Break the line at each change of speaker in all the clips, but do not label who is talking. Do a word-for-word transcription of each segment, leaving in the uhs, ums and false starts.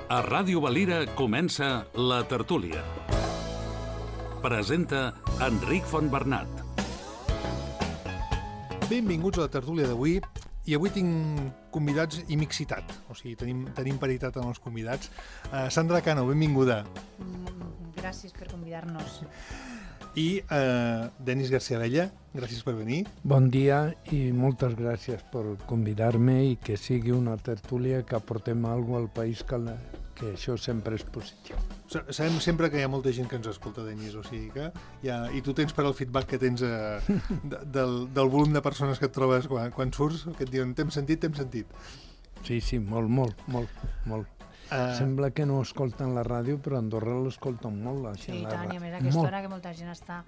A Ràdio Valira comença La Tertúlia. Presenta Enric Fontbernat.
Benvinguts a La Tertúlia d'avui. I avui tinc convidats i mixitat. O sigui, tenim, tenim paritat en els convidats. Uh, Sandra Cano, benvinguda.
Gràcies per convidar-nos.
I uh, Denis García Abella, gràcies per venir.
Bon dia i moltes gràcies per convidar-me i que sigui una tertúlia que aportem alguna cosa al país, que, la, que això sempre és positiu.
Sabem sempre que hi ha molta gent que ens escolta, Denis, o sigui que ja, i tu tens per al feedback que tens uh, de, del, del volum de persones que et trobes quan, quan surts, que et diuen t'hem sentit, t'hem sentit.
Sí, sí, molt, molt, molt, molt. Uh... Sembla que no escolten la ràdio, però a Andorra l'escolten molt. La gent,
sí, i
la
tant, i a més aquesta hora que molta gent està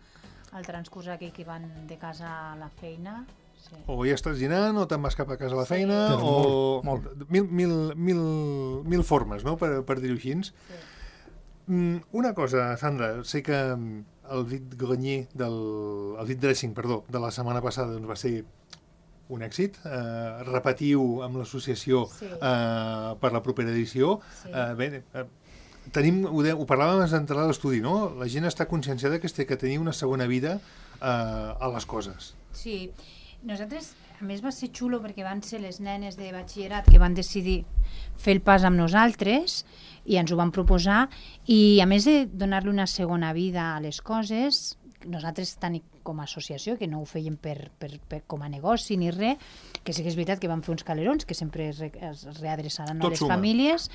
al transcurs aquell que van de casa a la feina. Sí.
O ja estàs dinant, o te'n vas cap a casa a la feina,
sí.
o
molt, molt.
Mil, mil, mil, mil formes, no?, per, per dir-ho així. Sí. Mm, una cosa, Sandra, sé que el vit grenier, del, el vit dressing, perdó, de la setmana passada doncs, va ser un èxit, eh, repetiu amb l'associació sí. eh, per la propera edició. Sí. Eh, bé, eh, tenim, ho, de, ho parlàvem abans d'entrar a l'estudi, no? La gent està conscienciada que té que tenir una segona vida eh, a les coses.
Sí, nosaltres, a més va ser xulo perquè van ser les nenes de batxillerat que van decidir fer el pas amb nosaltres i ens ho van proposar, i a més de donar-li una segona vida a les coses, nosaltres tant com a associació, que no ho fèiem per, per, per, com a negoci ni res, que sí que és veritat que vam fer uns calerons que sempre es, re, es readreçaran a les suma. famílies.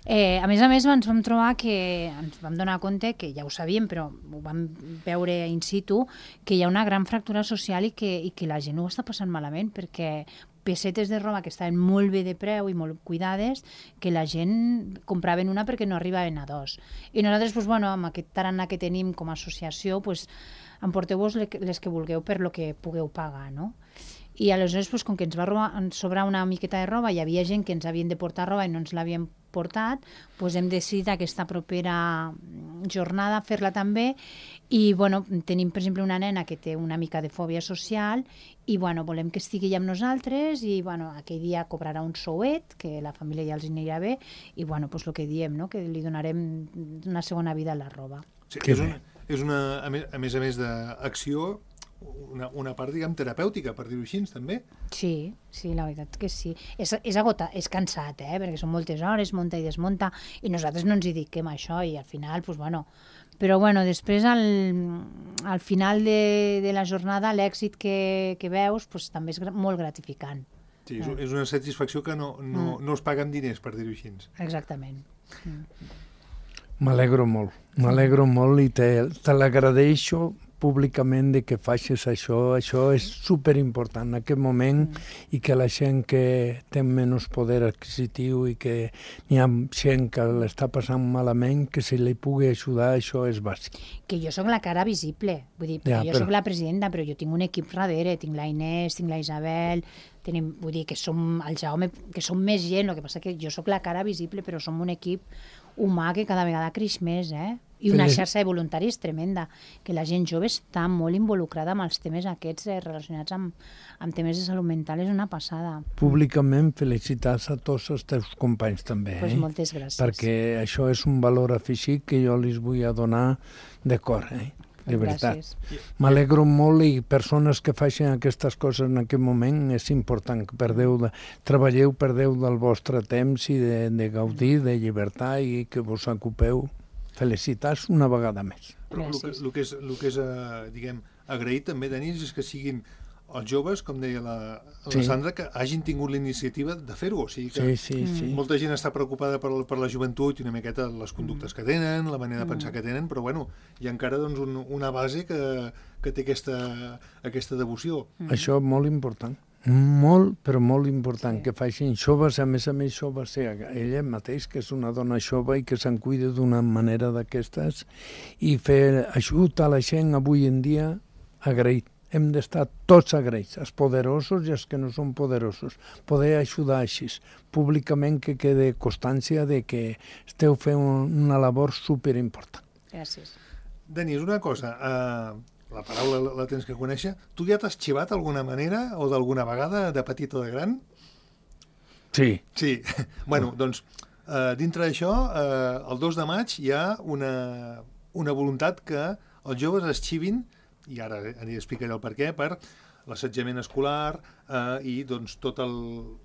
Eh, a més a més ens vam trobar que ens vam donar compte, que ja ho sabíem, però ho vam veure in situ, que hi ha una gran fractura social i que, i que la gent ho està passant malament, perquè pesetes de roba que estaven molt bé de preu i molt cuidades, que la gent compraven una perquè no arribaven a dos. I nosaltres, doncs, bueno, amb aquest tarannà que tenim com a associació, doncs, emporteu-vos les que vulgueu per lo que pugueu pagar, no? I aleshores, doncs, com que ens va robar, ens sobrar una miqueta de roba, hi havia gent que ens havien de portar roba i no ens l'havien portat, doncs hem decidit aquesta propera jornada fer-la també. I bueno, tenim per exemple una nena que té una mica de fòbia social i bueno, volem que estigui amb nosaltres i bueno, aquell dia cobrarà un souet, que la família ja els anirà bé, i bueno, doncs el que diem, no? Que li donarem una segona vida a la roba.
Sí, és una, és una, a més a més, a més d'acció, una, una part, diguem, terapèutica, per dir-ho així, també.
Sí, sí, la veritat que sí. És, és agotat, és cansat, eh? Perquè són moltes hores, munta i desmunta, i nosaltres no ens hi dediquem a això, i al final, doncs, bueno... Però, bueno, després, al, al final de, de la jornada, l'èxit que, que veus, doncs, també és molt gratificant.
Sí, és, és una satisfacció que no, no, mm. no es paga amb diners, per dir-ho així.
Exactament. Mm.
M'alegro molt, m'alegro molt i te, te l'agradeixo públicament de que facis això. Això és superimportant en aquest moment mm. i que la gent que té menys poder adquisitiu i que n'hi ha gent que l'està passant malament, que se li pugui ajudar, això és bàsic.
Que jo sóc la cara visible, vull dir, perquè ja, jo però... sóc la presidenta, però jo tinc un equip darrere, tinc la Inés, tinc la Isabel, tenim, vull dir, que som el Jaume, que som més gent, el que passa que jo sóc la cara visible, però som un equip humà que cada vegada creix més, eh? I una xarxa de voluntaris tremenda, que la gent jove està molt involucrada amb els temes aquests eh, relacionats amb, amb temes de salut mental, és una passada.
Públicament felicitats a tots els teus companys també,
pues
eh?
Moltes gràcies.
Perquè això és un valor afegit que jo els vull a donar de cor, eh? De veritat. M'alegro molt, i persones que facin aquestes coses en aquest moment és important que perdeu de, treballeu, perdeu del vostre temps i de, de gaudir, de llibertat, i que vos ocupeu. Felicitats una vegada més.
Però el que, el que és, el que és uh, diguem, agraït també, Denis, és que siguin els joves, com deia la, la sí. Sandra, que hagin tingut la iniciativa de fer-ho. O sigui que
sí, sí, sí.
molta gent està preocupada per, per la joventut i una miqueta les conductes que tenen, la manera de pensar que tenen, però bueno, hi ha encara doncs, un, una base que, que té aquesta, aquesta devoció.
Mm. Això és molt important. Molt, però molt important, sí. Que facin joves, a més a més joves, sí, ella mateix, que és una dona jove i que se'n cuida d'una manera d'aquestes, i fer ajut a la gent avui en dia agraït. Hem d'estar tots agraïts, els poderosos i els que no són poderosos. Poder ajudar així, públicament, que quede constància de que esteu fent una labor superimportant.
Gràcies.
Denis, una cosa... Uh... la paraula la, la tens que conèixer. Tu ja t'has xivat d'alguna manera o d'alguna vegada, de petit o de gran?
Sí.
Sí. Bueno, doncs, Uh, dintre d'això, uh, el dos de maig hi ha una, una voluntat que els joves es xivin, i ara aniré a explicar el per què, per l'assetjament escolar eh, i doncs, tot el,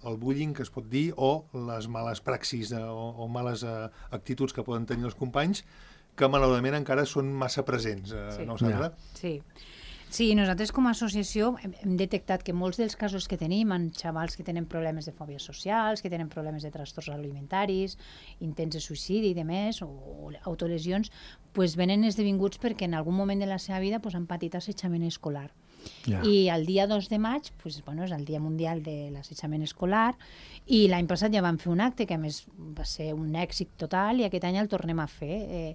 el bullying que es pot dir o les males praxis eh, o, o males eh, actituds que poden tenir els companys que malauradament encara són massa presents, eh,
sí.
no, Sandra?
Sí. Sí, nosaltres com a associació hem, hem detectat que molts dels casos que tenim en xavals que tenen problemes de fòbies socials, que tenen problemes de trastorns alimentaris, intents de suïcidi i demés, o, o autolesions, pues venen esdevinguts perquè en algun moment de la seva vida pues, han patit assetjament escolar. Yeah. I el dia dos de maig pues, bueno, és el Dia Mundial de l'Assetjament Escolar i l'any passat ja vam fer un acte que a més va ser un èxit total i aquest any el tornem a fer. Eh,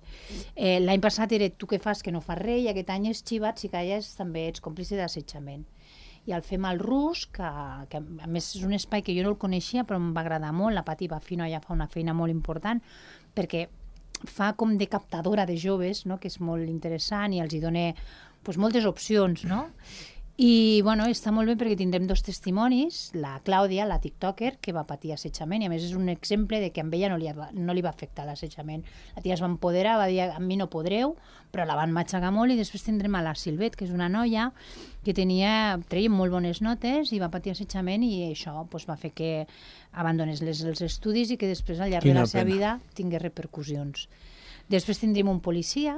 eh, l'any passat era tu què fas que no fas res i aquest any és xivat si calles també ets còmplice d'assetjament. I el fem al Rus, que, que a més és un espai que jo no el coneixia però em va agradar molt, la Pati Bafino ja fa una feina molt important perquè fa com de captadora de joves, no? Que és molt interessant i els hi dona pues, moltes opcions, no? I bueno, està molt bé perquè tindrem dos testimonis, la Clàudia, la tiktoker, que va patir assetjament, i a més és un exemple de que amb ella no li, no li va afectar l'assetjament. La tia es va empoderar, va dir, a mi no podreu, però la van matxacar molt, i després tindrem a la Silvet, que és una noia que tenia, treia molt bones notes i va patir assetjament, i això pues, va fer que abandonés les, els estudis i que després al llarg Quina de la seva pena. vida tingués repercussions. Després tindrem un policia,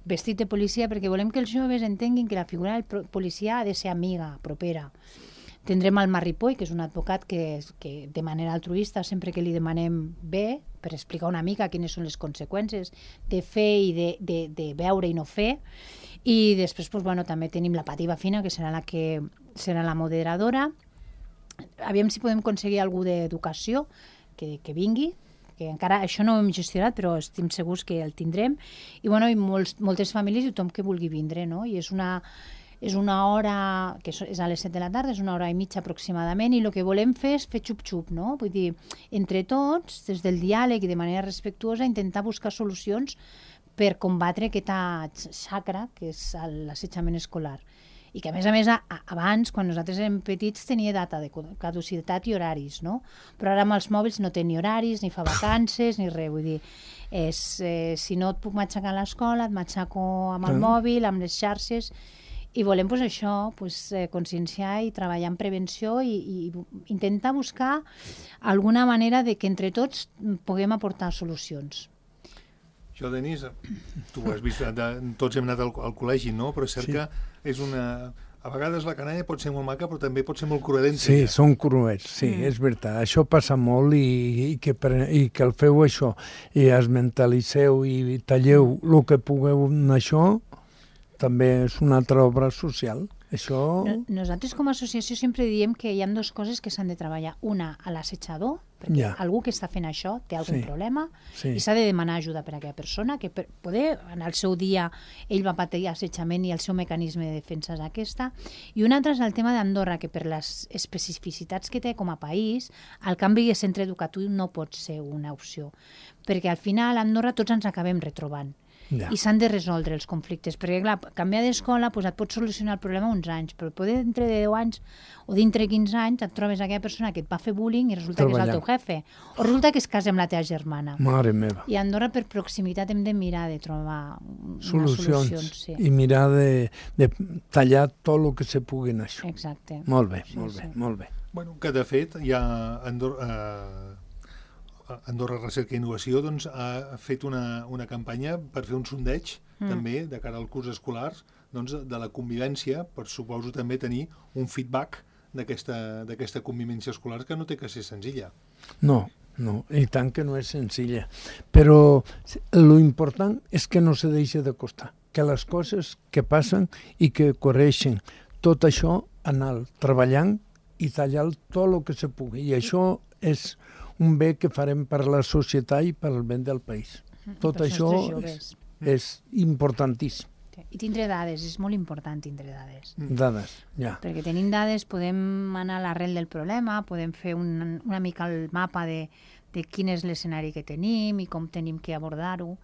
vestit de policia, perquè volem que els joves entenguin que la figura del policia ha de ser amiga, propera. Tindrem el Marripoll, que és un advocat que, que de manera altruista, sempre que li demanem bé, per explicar una mica quines són les conseqüències de fer i de, de, de veure i no fer. I després pues, bueno, també tenim la Pati Bafino, que serà la que serà la moderadora. Aviam si podem aconseguir algú d'educació que, que vingui, que encara això no ho hem gestionat, però estem segurs que el tindrem, i, bueno, i molts, moltes famílies i tothom que vulgui vindre, no? I és una, és una hora, que és a les set de la tarda, és una hora i mitja aproximadament, i el que volem fer és fer xup-xup, no? Vull dir, entre tots, des del diàleg i de manera respectuosa, intentar buscar solucions per combatre aquesta xacra, que és l'assetjament escolar. I que, a més a més, a, abans, quan nosaltres érem petits, tenia data de caducitat i horaris, no? Però ara amb els mòbils no té ni horaris, ni fa vacances, ni res. Vull dir, és, eh, si no et puc matxacar a l'escola, et matxaco amb el mm. mòbil, amb les xarxes, i volem pues, això, pues, eh, conscienciar i treballar en prevenció i, i intentar buscar alguna manera de que entre tots puguem aportar solucions.
Això, Denis, tu ho has vist, de, tots hem anat al, al col·legi, no? Però és cert sí. que és una... A vegades la canalla pot ser molt maca, però també pot ser molt cruelenta.
Sí, ja. Són cruels, sí, mm. és veritat. Això passa molt i, i, que, i que el feu això, i es mentalitzeu i talleu el que pugueu en això, també és una altra obra social. Això...
No, nosaltres com a associació sempre diem que hi ha dues coses que s'han de treballar. Una, a l'assetjador, perquè ja. algú que està fent això té algun sí. problema sí. i s'ha de demanar ajuda per a aquella persona, que per poder, en el seu dia, ell va patir assetjament i el seu mecanisme de defensa és aquesta. I una altra és el tema d'Andorra, que per les especificitats que té com a país, el canvi de centre educatiu no pot ser una opció, perquè al final a Andorra tots ens acabem retrobant. Ja. I s'han de resoldre els conflictes, perquè clar, canviar d'escola pues, et pot solucionar el problema uns anys, però poder dintre de deu anys o dintre de quinze anys et trobes aquella persona que et va fer bullying i resulta Treballar. que és el teu jefe, o resulta que es casa amb la teva germana.
Mare meva.
I a Andorra per proximitat hem de mirar de trobar solucions, solucions sí.
i mirar de, de tallar tot el que se pugui en això.
Exacte.
Molt bé,
sí,
molt
sí.
bé, molt bé.
Bueno, que de fet hi ha Andorra... Eh... Andorra Recerca i Innovació doncs, ha fet una, una campanya per fer un sondeig mm. també de cara al curs escolar doncs, de la convivència, per suposo també tenir un feedback d'aquesta convivència escolar que no té que ser senzilla.
No, no, i tant que no és senzilla. Però lo important és que no se deixi de costar, que les coses que passen i que correixen, tot això anar treballant i tallar tot el que se pugui. I això és un bé que farem per la societat i per al bé del país. Tot per això és, és importantíssim.
I tindre dades, és molt important tindre dades.
Dades, ja.
Perquè tenint dades podem anar a l'arrel del problema, podem fer un, una mica el mapa de, de quin és l'escenari que tenim i com tenim que abordar-ho.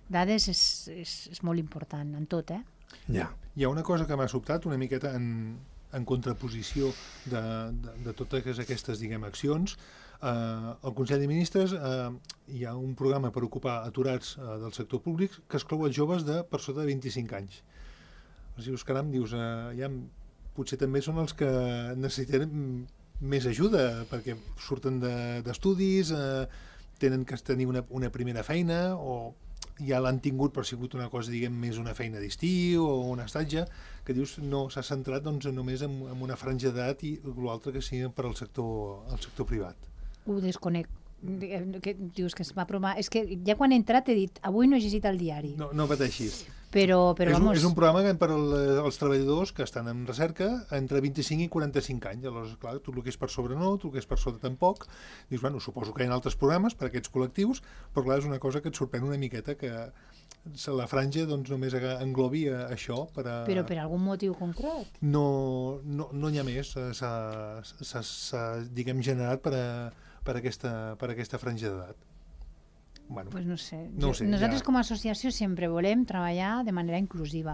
Dades és, és, és molt important en tot, eh?
Ja.
Hi ha una cosa que m'ha sobtat una miqueta en, en contraposició de, de, de totes aquestes, diguem, accions. Eh, al Consell de Ministres eh, hi ha un programa per ocupar aturats eh, del sector públic que exclou els joves de per sota de vint-i-cinc anys. O sigui, caram, dius, eh, ja, potser també són els que necessiten més ajuda, perquè surten d'estudis, de, eh, tenen que tenir una, una primera feina, o ja l'han tingut però ha sigut una cosa, diguem, més una feina d'estiu o un estatge, que dius no s'ha centrat doncs, només en, en una franja d'edat i l'altre que sigui per al sector, el sector privat.
Ho desconec. Que dius que es va aprovar... És que ja quan he entrat he dit avui no he llegit el diari.
No, no pateixis.
Però, però
és, un,
vamos...
és un programa per al, als treballadors que estan en recerca entre vint-i-cinc i quaranta-cinc anys. Aleshores, clar, tot el que és per sobre no, tot el que és per sota tampoc. Dius, bueno, suposo que hi ha altres programes per a aquests col·lectius, però clar, és una cosa que et sorprèn una miqueta que la franja doncs, només englobi això. Per a...
Però per algun motiu concret?
No, no, no n'hi ha més. S'ha, diguem, generat per a, per a, aquesta, per a aquesta franja d'edat. Bueno,
pues no sé.
No sé
Nosaltres
ja...
com a associació sempre volem treballar de manera inclusiva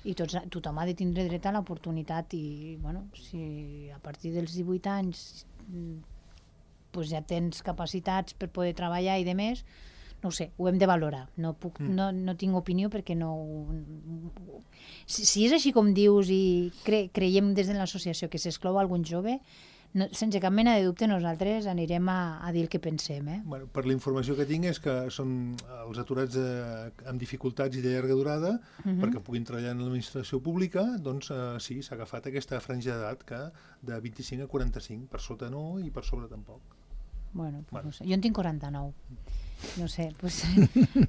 i tots, tothom ha de tindre dret a l'oportunitat i bueno, si a partir dels divuit anys pues ja tens capacitats per poder treballar i de més, no ho sé, ho hem de valorar. No, puc, mm. no, no tinc opinió perquè no... Si, si és així com dius i cre, creiem des de l'associació que s'exclou algun jove, no, sense cap mena de dubte nosaltres anirem a, a dir el que pensem. Eh?
Bueno, per la informació que tinc és que són els aturats eh, amb dificultats i de llarga durada, uh-huh. perquè puguin treballar en l'administració pública, doncs eh, sí, s'ha agafat aquesta franja d'edat que de vint-i-cinc a quaranta-cinc, per sota no i per sobre tampoc.
Bueno, pues bueno. No sé. Jo en tinc quaranta-nou. No sé, pues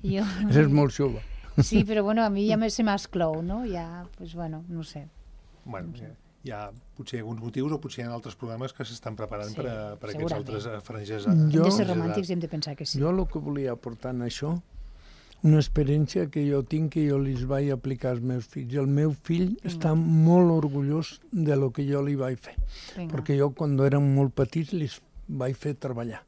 jo...
És molt jove.
Sí, però bueno, a mi ja se m'esclou, no? Ja, pues bueno, no sé.
Bueno,
no sé.
Hi ha potser alguns motius o potser hi ha altres programes que s'estan preparant sí, per a, per a aquests altres franges.
Jo, hem de ser romàntics i hem de pensar que sí.
Jo el que volia aportar en això, una experiència que jo tinc que jo li vaig aplicar als meus fills. El meu fill Vinga. Està molt orgullós de lo que jo li vaig fer. Vinga. Perquè jo quan eren molt petits li vaig fer treballar.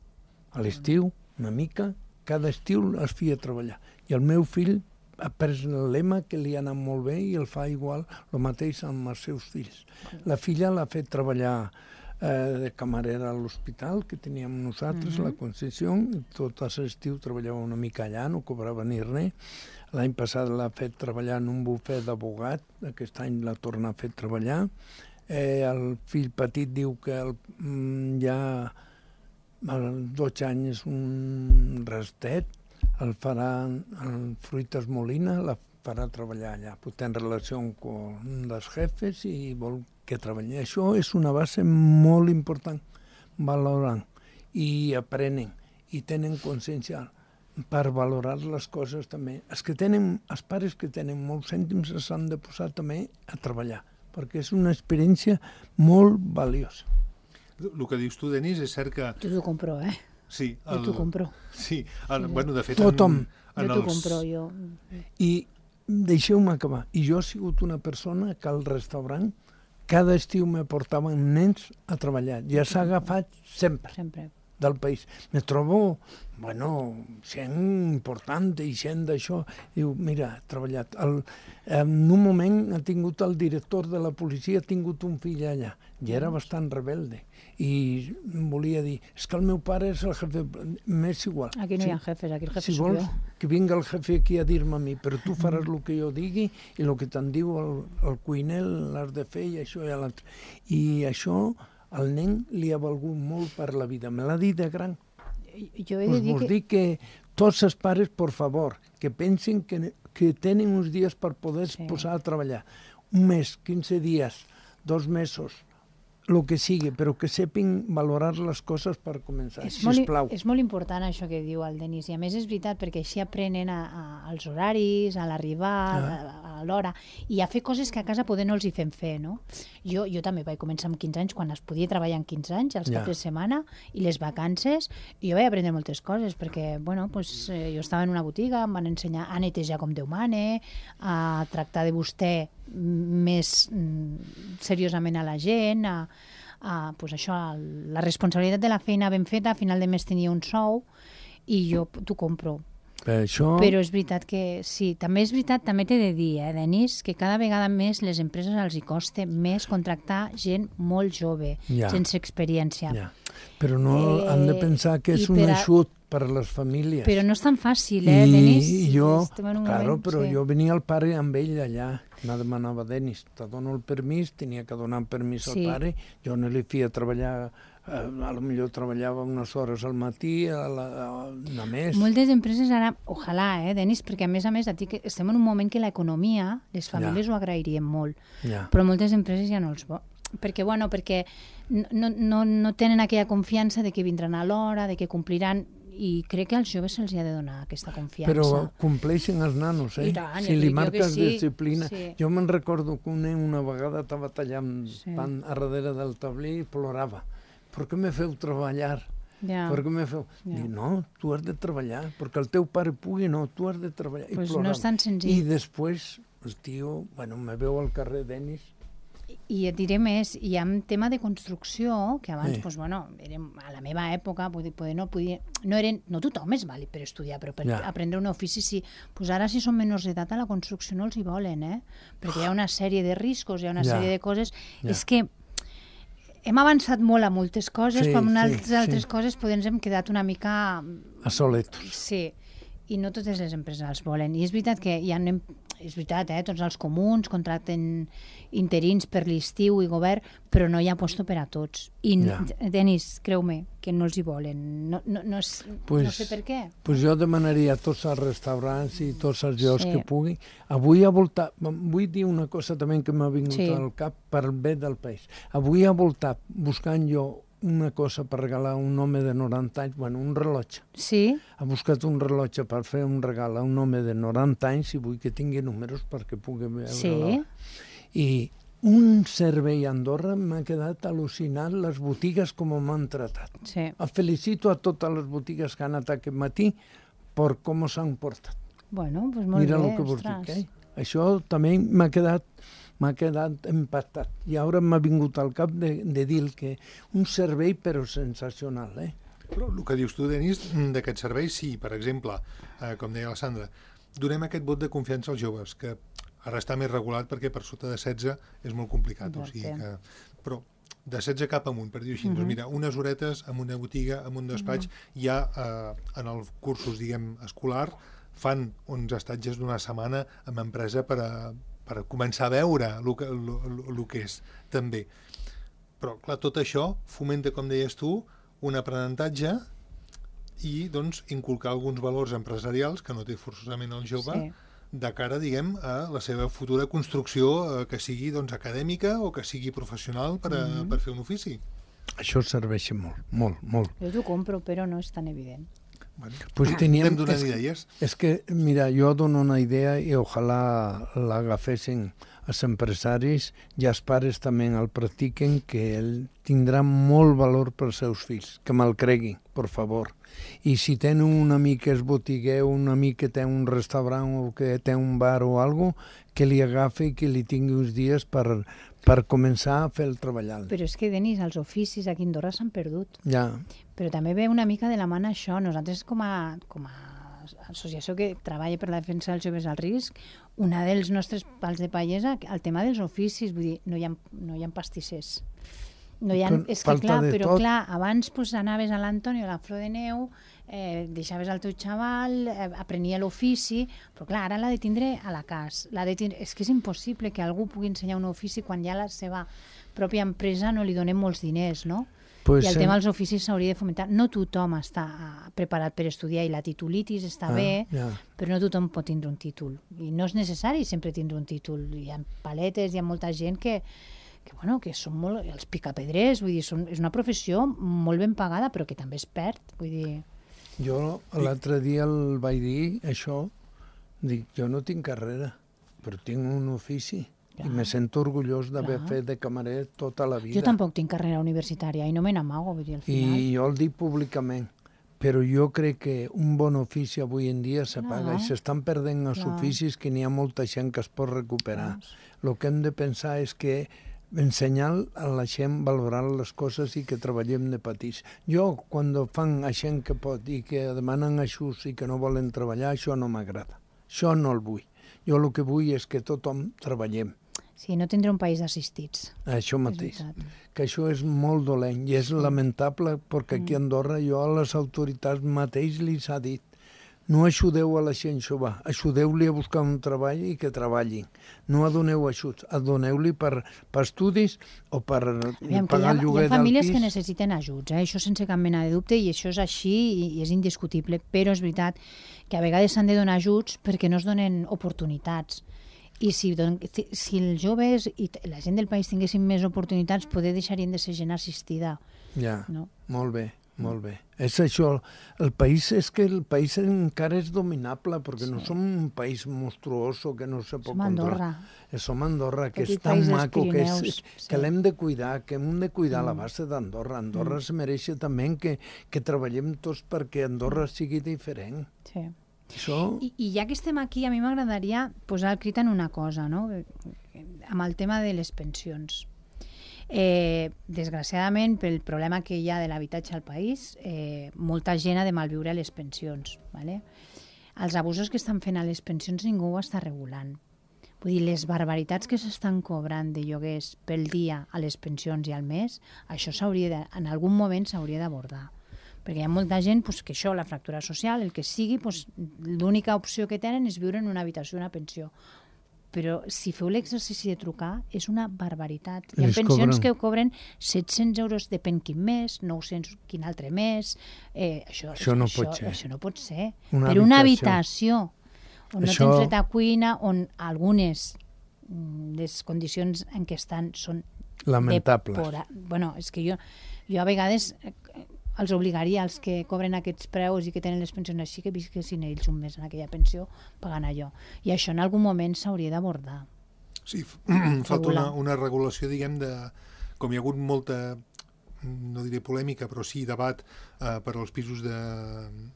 A l'estiu, una mica, cada estiu els feia treballar. I el meu fill ha pres el lema que li ha anat molt bé i el fa igual, el mateix amb els seus fills. La filla l'ha fet treballar eh, de camarera a l'hospital que teníem nosaltres, uh-huh. la Concessió, i tot l'estiu treballava una mica allà, no cobrava ni res. L'any passat l'ha fet treballar en un bufet d'abogat, aquest any l'ha tornat a fer treballar. Eh, el fill petit diu que el, mm, ja als dotze anys és un rastet, el farà en Fruites Molina, la farà treballar allà. Té relació amb les jefes i vol que treballi. Això és una base molt important, valorant i aprenen i tenen consciència per valorar les coses també. Els, que tenen, els pares que tenen molts cèntims s'han de posar també a treballar, perquè és una experiència molt valiosa.
El que dius tu, Denis, és cert que...
Tu t'ho compro, eh?
Sí,
el... Jo t'ho compro.
Sí, el, bueno, de fet...
Tothom.
En, en
jo t'ho
els...
compro, jo.
I deixeu-me acabar. I jo he sigut una persona que al restaurant cada estiu me portaven nens a treballar. Ja s'ha agafat sempre,
sempre
del país. Me trobo, bueno, gent important i gent d'això. Diu, mira, ha treballat. El, en un moment ha tingut el director de la policia, ha tingut un fill allà. I era bastant rebelde. I volia dir, és que el meu pare és el jefe, m'és igual.
Aquí no
sí.
hi ha jefes, aquí el jefe
si
soy
vols,
jo.
Que vinga el jefe aquí a dir-me a mi, però tu faràs el que jo digui i el que te'n diu el, el cuiner l'has de fer i això i l'altre. I això al nen li ha valgut molt per la vida. Me l'ha dit de gran.
Jo he de
Us
dir
vos
que...
dic que tots els pares, por favor, que pensin que, que tenen uns dies per poder sí. posar a treballar. Un mes, quinze dies, dos mesos, el que sigui, però que sepin valorar les coses per començar,
és
sisplau.
Molt, és molt important això que diu el Denis, i a més és veritat perquè així aprenen a, a, als horaris, a l'arribar, ah. a, a l'hora, i a fer coses que a casa poder no els hi fem fer, no? Jo, jo també vaig començar amb quinze anys, quan es podia treballar en quinze anys, els
ja.
caps de setmana, i les vacances, i jo vaig aprendre moltes coses, perquè, bueno, pues, eh, jo estava en una botiga, em van ensenyar a netejar com Déu mane, a tractar de vostè més mm, seriosament a la gent, a, a pues això, la responsabilitat de la feina ben feta, a final de mes tenia un sou i jo t'ho compro.
Per això...
Però és veritat que sí, també és veritat, també t'he de dir, eh, Denis, que cada vegada més les empreses els hi costa més contractar gent molt jove,
ja.
sense experiència.
Ja. Però no
Eh,
han de pensar que és
i
un
per a-
eixut per a les famílies.
Però no és tan fàcil, eh,
I,
Denis?
I jo,
Estem en un
claro,
moment,
però
sí.
jo venia al pare amb ell allà. Me demanava, Denis, te dono el permís, tenia que donar permís
Sí.
al pare, jo no li feia treballar, eh, a lo millor treballava unes hores al matí, a la, a, a més.
Moltes empreses ara, ojalà, eh, Denis, perquè a més a més a ti que estem en un moment que l'economia, les famílies
Ja.
ho agrairien molt,
Ja.
però moltes empreses ja no els vol. Perquè, bueno, perquè no, no, no tenen aquella confiança de que vindran a l'hora, de que compliran, i crec que als joves se'ls ha de donar aquesta confiança.
Però compleixen els nanos, eh?
I tant,
si
ja
li
dic jo que
marques
sí,
disciplina...
sí.
Jo me'n recordo que un nen una vegada estava tallant
Sí.
pan a darrere del taulí i plorava. Per què me feu treballar?
Ja.
Per què me feu...
Ja.
Dic, no, tu has de treballar, perquè el teu pare pugui, no, tu has de treballar. I
Pues no
plorava.
és tan senzill.
I després, el tio, bueno, me veu al carrer Denis,
I et diré més, hi ha un tema de construcció, que abans,
Sí.
pues, bueno, érem, a la meva època, poder, poder, no, podia, no, eren, no tothom és vàlid per estudiar, però per
Ja.
aprendre un ofici sí. Pues ara, si són menors d'edat, a la construcció no els hi volen, eh? Perquè hi ha una sèrie de riscos, hi ha una
Ja.
sèrie de coses...
Ja.
És que hem avançat molt a moltes coses,
Sí,
però en
sí,
altres,
sí.
altres coses pues, ens hem quedat una mica...
a soletos.
Sí, i no totes les empreses els volen. I és veritat que hi ha, és veritat, eh, tots els comuns contracten interins per l'estiu i govern, però no hi ha puesto per a tots. I,
Ja.
Denis, creu-me, que no els hi volen. No, no, no, és,
Pues,
no sé per què.
Pues jo demanaria a tots els restaurants i tots els llocs
Sí.
que pugui. Avui ha voltat, vull dir una cosa també que m'ha vingut
Sí.
al cap per bé del país. Avui ha voltat buscant jo una cosa per regalar a un home de noranta anys, bueno, un rellotge.
Sí?
Ha buscat un rellotge per fer un regal a un home de noranta anys i vull que tingui números perquè pugui veure
Sí.
l'hora. I un servei a Andorra m'ha quedat al·lucinant les botigues com m'han tratat.
Sí.
El felicito a totes les botigues que han anat aquest matí per com s'han portat.
Bueno, doncs molt
Mira
bé,
el que vos
ostres.
dic, eh? Això també m'ha quedat m'ha quedat impactat. I ara m'ha vingut al cap de, de dir que un servei però sensacional, eh?
Però el que dius tu, Denis, d'aquest servei, sí, per exemple, eh, com deia la Sandra, donem aquest vot de confiança als joves, que ara està més regulat perquè per sota de setze és molt complicat. O sigui que, però de setze cap amunt, per dir-ho així. Uh-huh. Doncs mira, unes horetes en una botiga, en un despatx, uh-huh. ja eh, en els cursos, diguem, escolar, fan uns estatges d'una setmana amb empresa per a, per començar a veure el que, el, el, el que és, també. Però, clar, tot això fomenta, com deies tu, un aprenentatge i, doncs, inculcar alguns valors empresarials que no té forçosament el jove, sí. de cara, diguem, a la seva futura construcció, eh, que sigui, doncs, acadèmica o que sigui professional per, a, mm-hmm. per fer un ofici.
Això serveix molt, molt, molt.
Jo t'ho compro, però no és tan evident.
Bueno, pues teníem,
anem donant
és,
idees.
És que, mira, jo dono una idea i ojalà l'agafessin els empresaris i els pares també el practiquen, que ell tindrà molt valor per als seus fills, que me'l creguin, per favor. I si tenen un amic que és botiguer, un amic que té un restaurant o que té un bar o alguna cosa, que li agafi i que li tingui uns dies per, per començar a fer el treballar.
Però és que, Denis, els oficis aquí a Andorra s'han perdut.
Ja.
Però també ve una mica de la mà això. Nosaltres, com a, com a associació que treballa per la defensa dels joves al risc, una dels nostres pals de paller és el tema dels oficis. Vull dir, no hi ha, no hi ha pastissers. No hi ha,
Però
és que
falta
clar,
de
però
tot.
clar, abans pues, anaves a l'Antonio, a la Flor de Neu, eh, deixaves el teu xaval, eh, aprenia l'ofici, però clar, ara l'ha de tindre a la casa. L'ha de tindre... És que és impossible que algú pugui ensenyar un ofici quan ja la seva pròpia empresa no li donem molts diners, no?
Pues
I el
sem-
tema dels oficis s'hauria de fomentar. No tothom està ah, preparat per estudiar i la titulitis està
Ah,
bé,
ja.
però no tothom pot tindre un títol. I no és necessari sempre tindre un títol. Hi ha paletes, hi ha molta gent que, que, bueno, que són molt... Els picapedrers, vull dir, són, és una professió molt ben pagada, però que també es perd. Vull dir...
Jo l'altre dia el vaig dir, això, dic, jo no tinc carrera, però tinc un ofici.
Clar.
I me sento orgullós d'haver
Clar.
fet de camarer tota la vida.
Jo tampoc tinc carrera universitària i no me n'amago, vull dir, al final.
I jo el dic públicament, però jo crec que un bon ofici avui en dia se paga
Clar.
i s'estan perdent els
Clar.
oficis que n'hi ha molta gent que es pot recuperar.
Clar.
El que hem de pensar és que ensenyar a la gent a valorar les coses i que treballem de petits. Jo, quan fan a gent que pot i que demanen ajuts i que no volen treballar, això no m'agrada. Això no el vull. Jo el que vull és que tothom treballem.
Sí, no tindrà un país d'assistits.
Això mateix, que això és molt dolent i és lamentable perquè aquí a Andorra jo a les autoritats mateix li s'ha dit no ajudeu a la gent jove, ajudeu-li a buscar un treball i que treballin. No doneu ajuts, doneu-li per, per estudis o per
Aviam,
pagar el lloguer del pis.
Hi ha famílies que necessiten ajuts, eh? Això sense cap mena de dubte, i això és així i, i és indiscutible, però és veritat que a vegades s'han de donar ajuts perquè no es donen oportunitats. I si, si els joves i la gent del país tinguessin més oportunitats, poder deixarien de ser gent assistida.
Ja,
no?
Molt bé, molt bé. És això, el país és que el país encara és dominable, perquè sí. no som un país monstruoso que no se pot
som
controlar.
Andorra.
Som Andorra, que
Petit
és tan maco, que,
Pirineus,
és,
sí.
que l'hem de cuidar, que hem de cuidar mm. la base d'Andorra. Andorra mm. se mereix també que, que treballem tots perquè Andorra sigui diferent.
Sí.
Això...
I, I ja que estem aquí, a mi m'agradaria posar el crit en una cosa, no? Amb el tema de les pensions. Eh, desgraciadament, pel problema que hi ha de l'habitatge al país, eh, molta gent ha de malviure les pensions. ¿Vale? Els abusos que estan fent a les pensions ningú ho està regulant. Vull dir, les barbaritats que s'estan cobrant de lloguers pel dia a les pensions i al mes, això s'hauria de, en algun moment s'hauria d'abordar. Perquè hi ha molta gent pues, que això, la fractura social, el que sigui, pues, l'única opció que tenen és viure en una habitació, una pensió. Però si feu l'exercici de trucar, és una barbaritat. Hi ha
Les
pensions
cobren.
que cobren set-cents euros, depèn quin mes, nou-cents quin altre mes. Eh, això,
Això no
això,
pot ser.
Això no pot ser.
Una
per una
habitació.
habitació on
Això...
no tens dret a cuina, on algunes les condicions en què estan són
lamentables.
Depora... Bueno, és que jo, jo a vegades els obligaria als que cobren aquests preus i que tenen les pensions així que visquessin ells un mes en aquella pensió pagant allò. I això en algun moment s'hauria d'abordar.
Sí, falta una, una regulació, diguem, de... Com hi ha hagut molta, no diré polèmica, però sí debat eh, per als pisos de,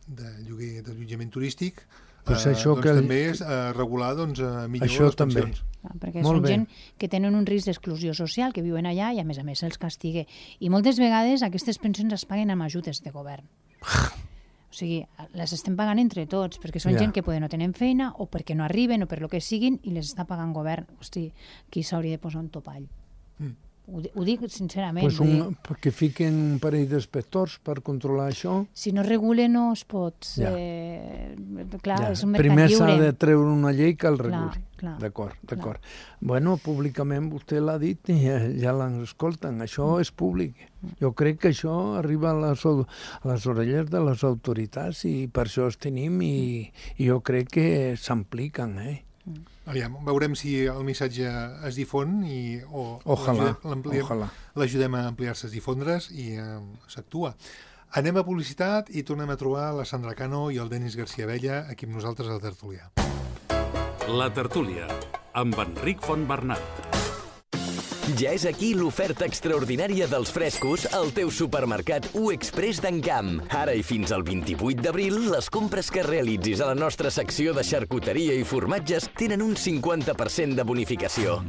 de lloguer, d'allotjament turístic,
pues
eh,
això
doncs
que...
també és eh, regular doncs, millor
això
les pensions.
També.
Perquè
Molt
són
bé.
gent que tenen un risc d'exclusió social, que viuen allà i a més a més se'ls castigue. I moltes vegades aquestes pensions es paguen amb ajudes de govern. O sigui, les estem pagant entre tots, perquè són
Ja.
gent que poder no tenen feina o perquè no arriben o per lo que siguin i les està pagant govern. Hosti, aquí s'hauria de posar un topall. Mm. Ho, ho dic sincerament.
Pues un, que fiquen un parell d'inspectors per controlar això.
Si no regule no es pot.
Ja.
Eh, clar,
Ja.
és un mercat
Primer
lliure.
s'ha de treure una llei que el
Clar,
reguli.
clar,
D'acord, d'acord. Bueno, públicament vostè l'ha dit i ja, ja l'escolten. Això és públic. Jo crec que això arriba a les, a les orelles de les autoritats i per això els tenim i, i jo crec que s'ampliquen, eh?
Aviam, veurem si el missatge es difon i, o
Ojalà,
l'ampliem-
ojalà.
l'ajudem a ampliar-se, a difondre's i eh, s'actua. Anem a publicitat i tornem a trobar la Sandra Cano i el Denis García Bella aquí amb nosaltres al Tertulià.
La Tertúlia, amb Enric Fontbernat.
Ja és aquí l'oferta extraordinària dels frescos al teu supermercat U Express d'Encamp. Ara i fins al vint-i-vuit d'abril, les compres que realitzis a la nostra secció de xarcuteria i formatges tenen un cinquanta per cent de bonificació.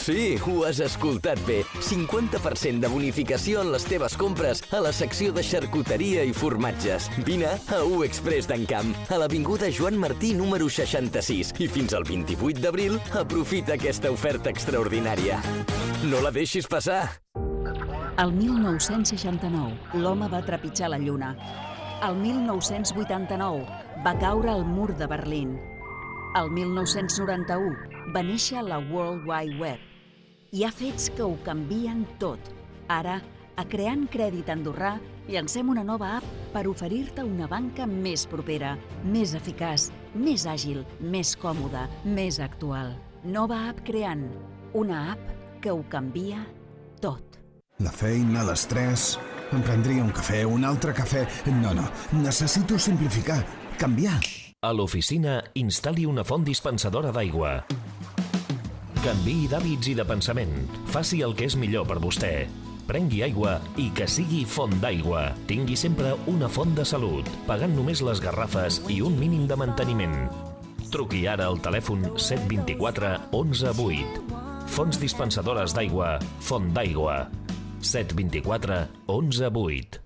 Sí, ho has escoltat bé. cinquanta per cent de bonificació en les teves compres a la secció de xarcuteria i formatges. Vine a U Express d'Encamp, a l'avinguda Joan Martí número seixanta-sis. I fins al vint-i-vuit d'abril, aprofita aquesta oferta extraordinària. No la deixis passar!
El mil nou-cents seixanta-nou, l'home va trepitjar la Lluna. El mil nou-cents vuitanta-nou, va caure el mur de Berlín. El mil nou-cents noranta-u, va néixer la World Wide Web. Hi ha fets que ho canvien tot. Ara, a Creant Crèdit Andorrà, llancem una nova app per oferir-te una banca més propera, més eficaç, més àgil, més còmoda, més actual. Nova app Creant, una app que ho canvia tot.
La feina, l'estrès... Em prendria un cafè, un altre cafè... No, no, necessito simplificar, canviar.
A l'oficina, instal·li una font dispensadora d'aigua. Canviï d'hàbits i de pensament. Faci el que és millor per vostè. Prengui aigua i que sigui font d'aigua. Tingui sempre una font de salut, pagant només les garrafes i un mínim de manteniment. Truqui ara al telèfon set dos quatre onze vuit. Fonts dispensadores d'aigua, Font d'aigua. set dos quatre onze vuit.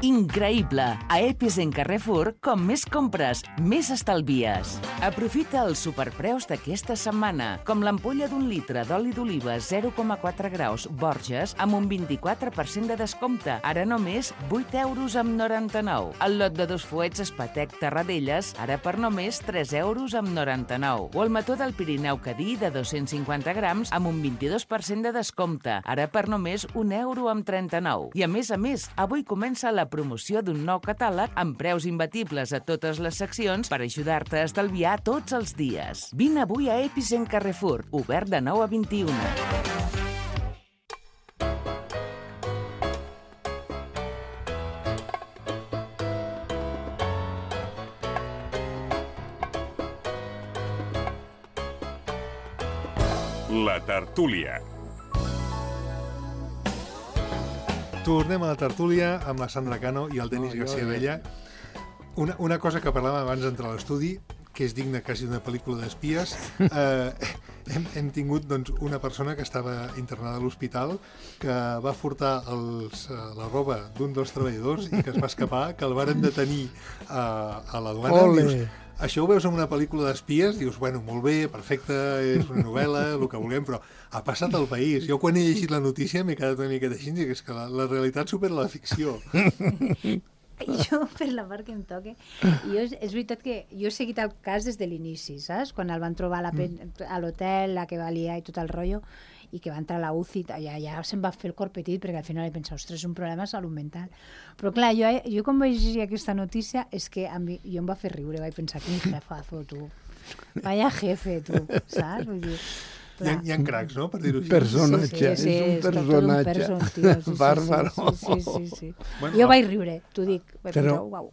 Increïble! A Epis en Carrefour, com més compres, més estalvies.
Aprofita els superpreus d'aquesta setmana, com l'ampolla d'un litre d'oli d'oliva zero coma quatre graus Borges amb un vint-i-quatre per cent de descompte, ara només vuit euros amb noranta-nou. El lot de dos fuets Espatec Terradelles, ara per només tres euros amb noranta-nou. O el mató del Pirineu Cadí de dos-cents cinquanta grams amb un vint-i-dos per cent de descompte, ara per només un euro amb trenta-nou. I a més a més, avui comença la promoció d'un nou catàleg amb preus imbatibles a totes les seccions per ajudar-te a estalviar tots els dies. Vine avui a Epicent Carrefour, obert de nou a vint-i-una.
La tertúlia.
Tornem a la tertúlia amb la Sandra Cano i el Denis
No, jo-
García Bella. Una, una cosa que parlàvem abans d'entrar a l'estudi, que és digna quasi d'una pel·lícula d'espies. Eh, hem, hem tingut doncs, una persona que estava internada a l'hospital que va furtar els, eh, la roba d'un dels treballadors i que es va escapar, que el varen detenir a, a la duana.
Ole.
Dius, això ho veus en una pel·lícula d'espies, dius, bueno, molt bé, perfecte, és una novel·la, el que vulguem, però ha passat al país. Jo quan he llegit la notícia m'he quedat una mica així, que és que la, la realitat supera la ficció.
Jo, per la part que em toque, jo, és, és veritat que jo he seguit el cas des de l'inici, saps? Quan el van trobar a la pen- a l'hotel, la que valia i tot el rotllo, i que va entrar a la U C I, ja, ja se'm va fer el cor petit, perquè al final he pensat, ostres, és un problema de salut mental. Però clar, jo, jo quan vaig llegir aquesta notícia, és que a mi, jo em va fer riure, vaig pensar, quin jefazo, tu. Vaya jefe, tu, saps? Vull dir,
Hi ha, hi ha cracs, no?, per dir-ho així.
Personatge,
Sí, sí, sí,
és un
és tot un
personatge.
person, tio, sí, sí,
Bàrbaro.
sí, sí, sí, sí.
Bueno,
Jo
va.
vaig riure, t'ho dic. Vaig
Però-
pensar, uau.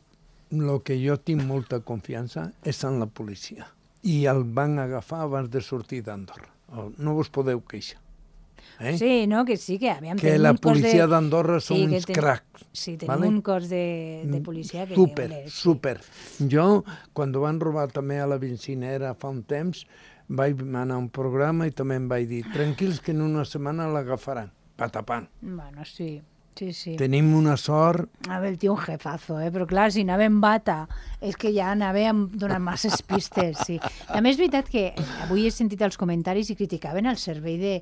El que jo tinc molta confiança és en la policia. I el van agafar abans de sortir d'Andorra. No vos podeu queixar. Eh?
Sí, no, que sí, que aviam,
Que
tenim
la
un cos
policia
de...
d'Andorra són
Sí, que
uns
ten-
cracs.
Sí, tenim
¿vale?
un cos de, de policia que...
Súper,
ole, sí.
súper. Jo, quan van robar també a la bencinera fa un temps, vaig anar a un programa i també em vaig dir, tranquils que en una setmana l'agafaran, patapant.
Bueno, sí, sí, sí.
Tenim una sort.
A veure, el tio un jefazo, eh? Però clar, si anava en bata, és que ja anava donant masses pistes, sí. També és veritat que avui he sentit els comentaris i criticaven el servei de,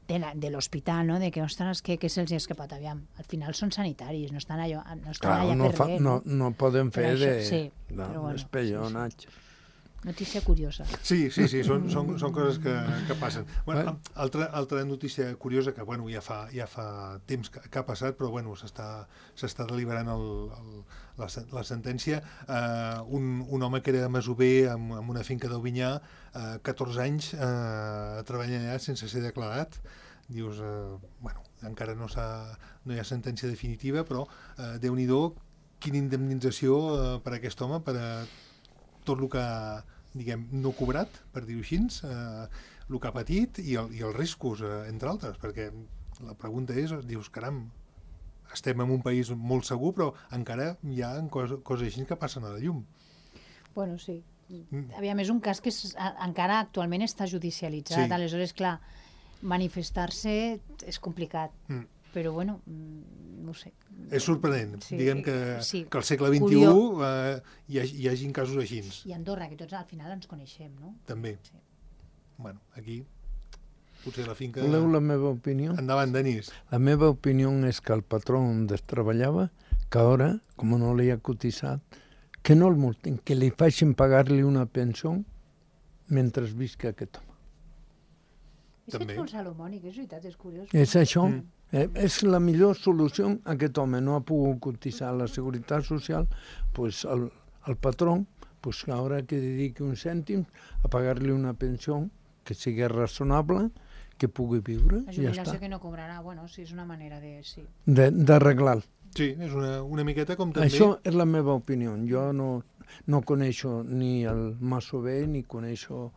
de, la, de l'hospital, no? De que, ostres, que, que se'ls ha escapat, aviam. Al final són sanitaris, no estan, allò, no estan
Clar,
allà
no,
per
fa,
res.
no, no poden
Per
fer
això,
de,
sí,
de
però bueno,
espellonatge.
Notícia curiosa.
Sí, sí, sí, són, són, són coses que, que passen. Bueno, altra, altra notícia curiosa que bueno, ja, fa, ja fa temps que, que ha passat, però bueno, s'està s'està deliberant el, el, la, sen- la sentència. Uh, un, un home que era masover amb, amb una finca d'Albinyà, uh, catorze anys uh, treballant allà sense ser declarat. Dius, uh, bueno, encara no, s'ha, no hi ha sentència definitiva, però uh, Déu-n'hi-do, quina indemnització uh, per a aquest home, per a tot el que diguem, no cobrat, per dir-ho així, eh, el que ha patit i, el, i els riscos, eh, entre altres, perquè la pregunta és, dius, caram, estem en un país molt segur, però encara hi ha coses, coses així que passen a la llum.
Bueno, sí. Aviam, és un cas que és, a, encara actualment està judicialitzat,
Sí.
aleshores, clar, manifestar-se és complicat,
Mm.
però bueno, mm, no ho sé.
És sorprenent,
Sí,
diguem que,
sí.
que al segle vint-i-u
Curiós.
eh, hi, hagi, hi hagin casos així,
I Andorra, que tots al final ens coneixem, no?
també.
Sí.
Bueno, aquí, potser la finca...
Voleu la meva opinió?
Endavant, Denis.
La meva opinió és que el patró on treballava, que ara, com no li ha cotitzat, que no el multin, que li facin pagar-li una pensió mentre visca aquest home.
És que
També.
ets molt salomònic, és veritat, és curiós.
És això.
Mm.
Eh, és la millor solució. Aquest home no ha pogut cotitzar a la Seguretat Social, pues el, el patró pues haurà que dediqui un cèntim a pagar-li una pensió que sigui raonable, que pugui viure,
La
i ja
jubilació
està.
que no cobrarà, bueno, sí, és una manera de... Sí.
De- D'arreglar.
Sí, és una, una miqueta com també...
Això és la meva opinió. Jo no, no coneixo ni el masover ni coneixo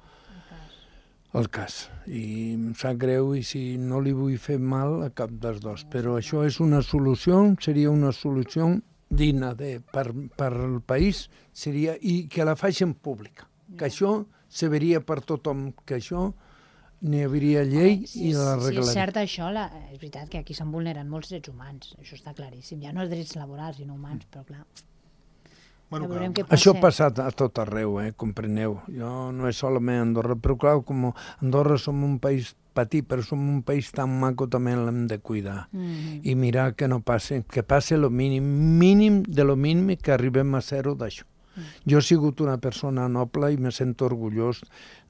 el cas. I em sap greu i si no li vull fer mal a cap dels dos. Però això és una solució, seria una solució digna de, per, per al país, seria, i que la facin pública. Que això se veria per tothom, que això n'hi hauria llei
si,
i
és-
l'arreglaria.
Si és cert això, la, és veritat que aquí s'han vulnerat molts drets humans, això està claríssim. Ja no els drets laborals, sinó humans, però clar,
Bueno,
ja veurem
que...
què passa.
Això ha passat a tot arreu, eh, compreneu. Jo no és solament Andorra, però clar, com Andorra som un país petit, però som un país tan maco, també l'hem de cuidar.
Mm-hmm.
I mirar que no passe, que passe lo mínim, mínim de lo mínim, que arribem a zero d'això. Mm. Jo he sigut una persona noble i me sento orgullós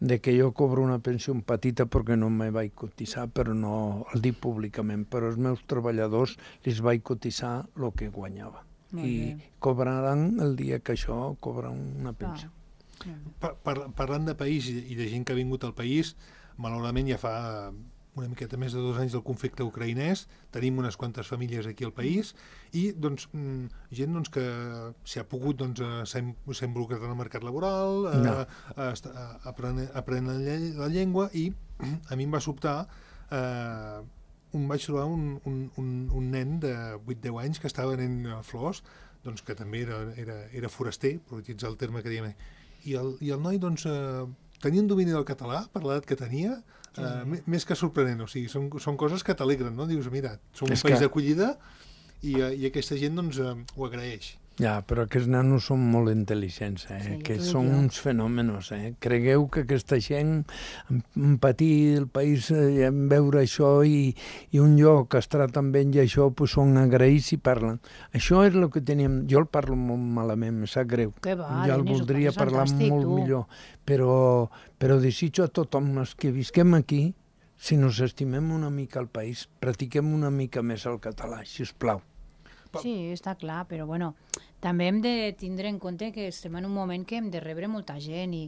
de que jo cobro una pensió petita perquè no me vaig cotitzar, però no el dic públicament, però els meus treballadors els vaig cotitzar el que guanyava.
Molt
I
bé.
cobraran el dia que això cobra una pensió.
par par parlant de país i de gent que ha vingut al país, malauradament ja fa una miqueta més de dos anys del conflicte ucraïnès, tenim unes quantes famílies aquí al país i doncs, gent doncs, que s'ha pogut doncs, s'ha involucrat en el mercat laboral,
no.
aprenent, aprenent la llengua, i a mi em va sobtar eh, un, vaig trobar un, un, un, un nen de vuit deu anys que estava venent flors, doncs, que també era, era, era foraster, per utilitzar el terme que diem, i el, i el noi doncs, eh, tenia un domini del català per l'edat que tenia, sí. eh, més que sorprenent, o sigui, són, són coses que t'alegren, no? Dius, mira, som un
és
país
que...
d'acollida i, i aquesta gent doncs, eh, ho agraeix.
Ja, però aquests nanos són molt intel·ligents, eh?
Sí,
que
tu i
són
jo.
uns fenòmenos. Eh? Cregueu que aquesta gent, en patir el país, eh, en veure això i, i un lloc que es trata amb ells i això, pues, són agraïts i parlen. Això és el que teníem... Jo el parlo molt malament, em sap greu.
Que va,
jo el
Denis, ho
voldria
parles
parlar
fantàstic,
molt
tu.
millor, però, però desitjo a tothom els que visquem aquí, si nos estimem una mica el país, practiquem una mica més el català, si us plau.
Sí, està clar, però bueno, també hem de tindre en compte que estem en un moment que hem de rebre molta gent i,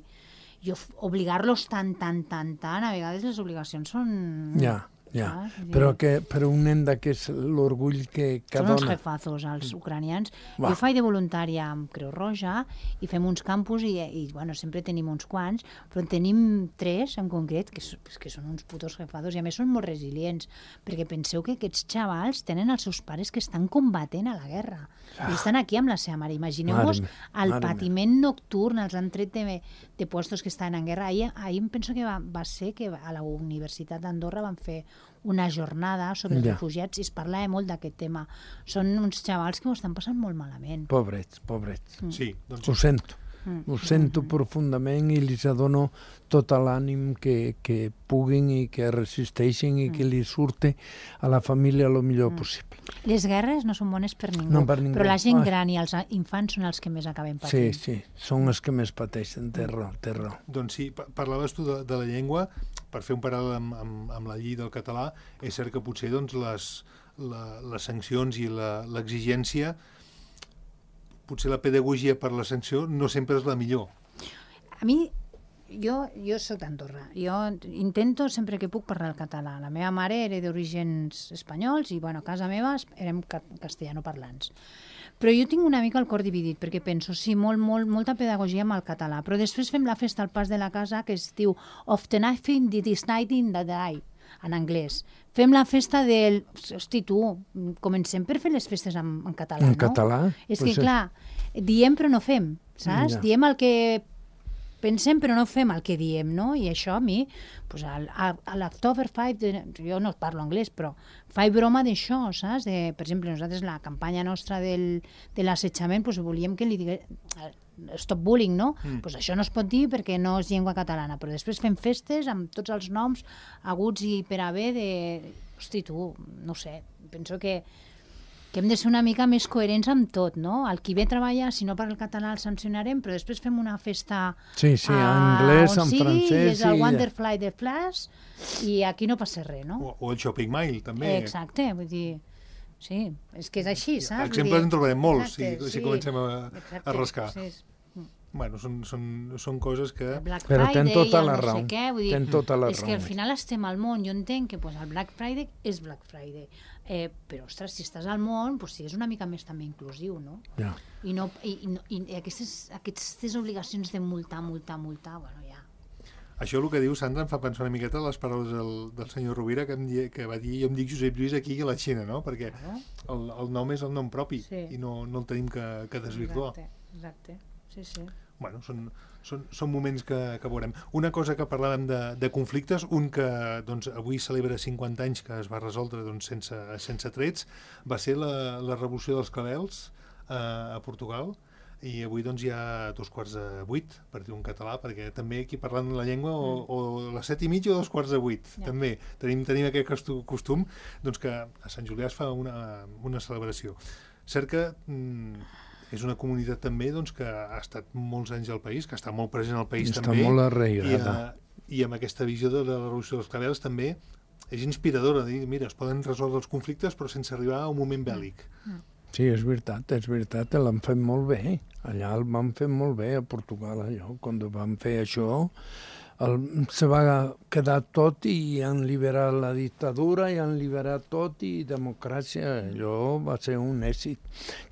i obligar-los tant, tant, tant, tant, a vegades les obligacions són...
Ja, ja.
Ah, sí.
Però que per un nen d'aquest, l'orgull que, que
Són
dona...
uns jefazos, els ucranians.
Va.
Jo faig de voluntària amb Creu Roja i fem uns campus i, i bueno, sempre tenim uns quants, però en tenim tres en concret que, que són uns putos jefazos i a més són molt resilients, perquè penseu que aquests xavals tenen els seus pares que estan combatent a la guerra. Ah. I estan aquí amb la seva mare. Imagineu-vos el mare patiment me. nocturn, els han tret de, de puestos que estan en guerra. Ahir, ahir em penso que va, va ser que a la Universitat d'Andorra van fer una jornada sobre els
ja.
refugiats i es parlava molt d'aquest tema. Són uns xavals que ho estan passant molt malament.
Pobrets, pobrets.
Mm. Sí, doncs...
Ho sento. Mm. Ho sento mm. profundament i els dono tot l'ànim que, que puguin i que resisteixin i mm. que li surte a la família el millor mm. possible.
Les guerres no són bones per ningú,
no per ningú.
Però la gent
Ai.
gran i els infants són els que més acaben patint.
Sí, sí, són els que més pateixen, té raó, té raó.
Doncs sí, parlaves tu de, de la llengua, per fer un paral·lel amb, amb, amb la llei del català, és cert que potser doncs, les, la, les sancions i l'exigència, potser la pedagogia per la sanció no sempre és la millor.
A mi, jo, jo soc d'Andorra. Jo intento sempre que puc parlar el català. La meva mare era d'orígens espanyols i, bueno, a casa meva érem castellanoparlants. Però jo tinc una mica el cor dividit, perquè penso, sí, molt, molt, molta pedagogia amb el català, però després fem la festa al pas de la casa que es diu Of the Night This Night in the Day, en anglès. Fem la festa del... Hosti, tu, comencem per fer les festes en, en català,
en
no?
En català?
És
pues
que, clar, diem però no fem, saps? Ja. Diem el que pensem però no fem el que diem, no? I això a mi, pues, a, a l'October cinc, jo no parlo anglès, però faig broma d'això, saps? De, per exemple, nosaltres la campanya nostra del, de l'assetjament, pues, volíem que li digués stop bullying, no? Mm. Pues això no es pot dir perquè no és llengua catalana, però després fem festes amb tots els noms aguts i per haver de... Hosti, tu, no sé, penso que que hem de ser una mica més coherents amb tot, no? El qui ve a treballar, si no parla el català el sancionarem, però després fem una festa
sí, sí, en anglès, en
sigui,
francès...
i és el Wonderfly de Flash, i aquí no passa res, no?
O, o el Shopping Mile, també.
Exacte, vull dir... Sí, és que és així, saps?
Exemples en trobarem molts,
exacte,
si, si
sí,
comencem a,
exacte,
a rascar.
Sí.
Bueno, són, són, són coses que...
Black
Però
Friday,
ten tota
el
la
no
raó.
sé què, vull dir,
ten tota la
és
raó.
que al final estem al món, jo entenc que pues, el Black Friday és Black Friday, eh, però, ostres, si estàs al món, pues, sigues una mica més també inclusiu, no?
Ja.
I, no, i, i, i aquestes, aquestes obligacions de multar, multar, multar, bueno, ja...
Això el que diu Sandra em fa pensar una miqueta les paraules del, del senyor Rovira que, em di, que va dir, jo em dic Josep Lluís aquí a la Xina, no? Perquè el, el nom és el nom propi sí. i no, no el tenim que, que desvirtuar.
Exacte, exacte, sí, sí.
Bueno, són, són, són moments que, que veurem. Una cosa que parlàvem de, de conflictes, un que doncs, avui celebra cinquanta anys que es va resoldre doncs, sense, sense trets, va ser la, la revolució dels clavells eh, a Portugal. i avui doncs hi ha dos quarts de vuit, per dir un català, perquè també aquí parlant la llengua o,
Mm.
o les set i mitja o dos quarts de vuit,
Ja.
també tenim, tenim aquest costu- costum doncs que a Sant Julià es fa una, una celebració. Cert que mm, és una comunitat també doncs, que ha estat molts anys al país, que està molt present al país
Està
també,
molt
i,
arraigada.
eh, i amb aquesta visió de la revolució dels claveles també és inspiradora, dir, mira, es poden resoldre els conflictes però sense arribar a un moment bèl·lic.
Sí, és veritat, és veritat, l'han fet molt bé. Allà el van fer molt bé, a Portugal, allò. Quan van fer això, el, se va quedar tot i han liberat la dictadura i han liberat tot i democràcia. Allò va ser un èxit.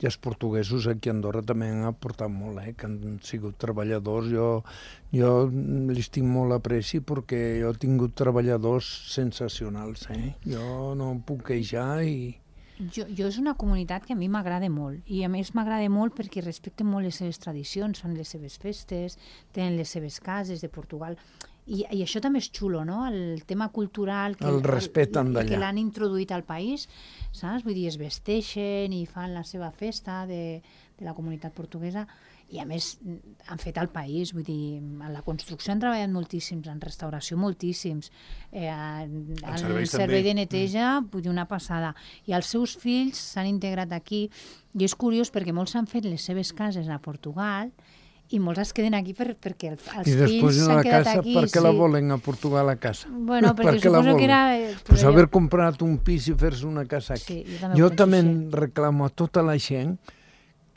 I els portuguesos aquí a Andorra també han aportat molt, eh, que han sigut treballadors. Jo, jo els tinc molt apreci perquè jo he tingut treballadors sensacionals. Eh? Jo no em puc queixar i...
Jo, jo és una comunitat que a mi m'agrada molt, i a més m'agrada molt perquè respecten molt les seves tradicions, fan les seves festes, tenen les seves cases de Portugal, i, i això també és xulo, no? El tema cultural que,
El respecten d'allà.
que l'han introduït al país, saps? Vull dir, es vesteixen i fan la seva festa de, de la comunitat portuguesa, i a més han fet al país, vull dir, en la construcció han treballat moltíssims, en restauració moltíssims, eh, en, en el
serveis
servei
també.
de neteja, vull dir, una passada. I els seus fills s'han integrat aquí, i és curiós perquè molts han fet les seves cases a Portugal i molts es queden aquí per, perquè el, els
I després
fills
de
s'han
la
quedat
casa,
aquí.
per què la volen a Portugal a casa?
Bueno,
Per
perquè
què la
suposo que
volen?
era... eh,
Pues
però
haver comprat un pis i fer-se una casa aquí.
Sí, jo també ho
jo
penso
també
així.
reclamo a tota la gent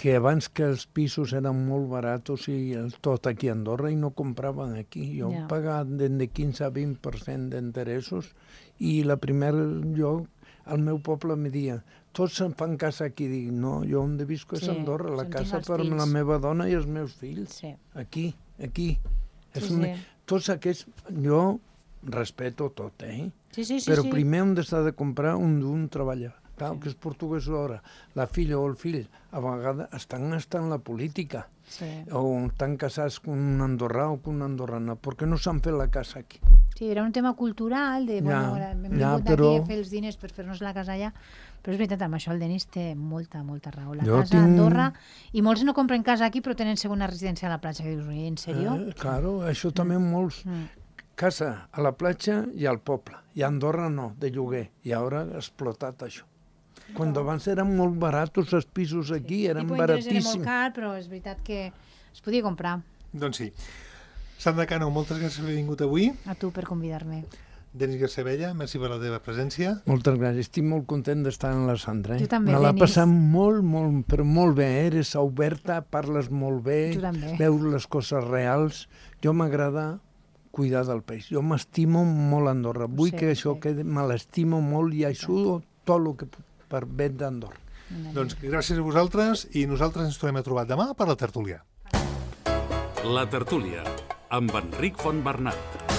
que abans que els pisos eren molt baratos i el tot aquí a Andorra i no compraven aquí. Jo
Ja.
he pagat de quinze a vint per cent d'interessos i la primera, jo, al meu poble me deia, tots se'n fan casa aquí. Dic, no, jo on visco és
Sí,
a Andorra, la
on tinc
casa
els
per
fills.
la meva dona i els meus fills.
Sí.
Aquí, aquí. És
Sí,
una...
sí.
Tots aquests... Jo respeto tot, eh?
Sí, sí, sí,
Però
sí.
primer hem d'estar de comprar un d'un treballar. Clar, que és portuguès ara, la filla o el fill, a vegades estan estant la política,
Sí.
o estan casats amb un andorrà o amb una andorrana, perquè no s'han fet la casa aquí.
Sí, era un tema cultural, de, bueno,
Ja,
hem
ja,
vingut
però-
aquí a fer els diners per fer-nos la casa allà, però és veritat, amb això el Denis té molta, molta raó. La
Jo
casa
tinc-
a Andorra, i molts no compren casa aquí, però tenen segona residència a la platja, que dius, "Ui, en sèrio?"
Eh, claro, això també molts.
Mm.
Casa a la platja i al poble, i a Andorra no, de lloguer, i ara ha explotat això. Quan abans eren molt baratos els pisos aquí, eren
Tipus d'interès era molt
baratíssims.
car, però és veritat que es podia comprar.
Doncs sí. Sandra Cano, moltes gràcies per haver vingut avui.
A tu per convidar-me.
Denis Garcebella, merci per la teva presència.
Moltes gràcies, estic molt content d'estar en la Sandra. Eh?
Jo també,
Me l'ha
Denis.
passat molt, molt, però molt bé, eh? Eres oberta, parles molt bé,
Tu també.
veus les coses reals. Jo m'agrada cuidar del país. Jo m'estimo molt a Andorra. Vull
sé,
que
ho
això
sé.
quedi, me l'estimo molt i ajudo tot el que puc per bé d'Andorra.
Doncs gràcies a vosaltres i nosaltres ens tornem a trobar demà per la tertúlia.
La tertúlia, amb Enric Fontbernat.